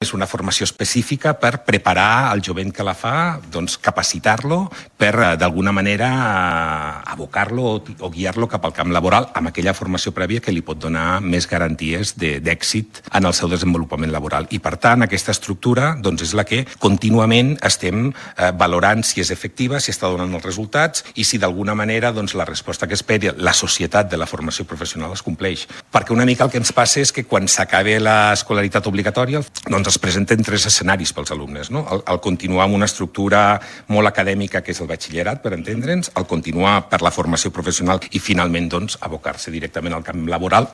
És una formació específica per preparar el jovent que la fa, doncs capacitar-lo per, d'alguna manera, abocar-lo o guiar-lo cap al camp laboral amb aquella formació prèvia que li pot donar més garanties d'èxit en el seu desenvolupament laboral. I, per tant, aquesta estructura doncs, és la que contínuament estem valorant si és efectiva, si està donant els resultats i si d'alguna manera doncs, la resposta que espera la societat de la formació professional es compleix. Perquè una mica el que ens passa és que quan s'acabe l'escolaritat obligatòria doncs es presenten tres escenaris pels alumnes, no? El continuar amb una estructura molt acadèmica que és el batxillerat, per entendre'ns, el continuar per la formació professional i finalment doncs abocar-se directament al camp laboral.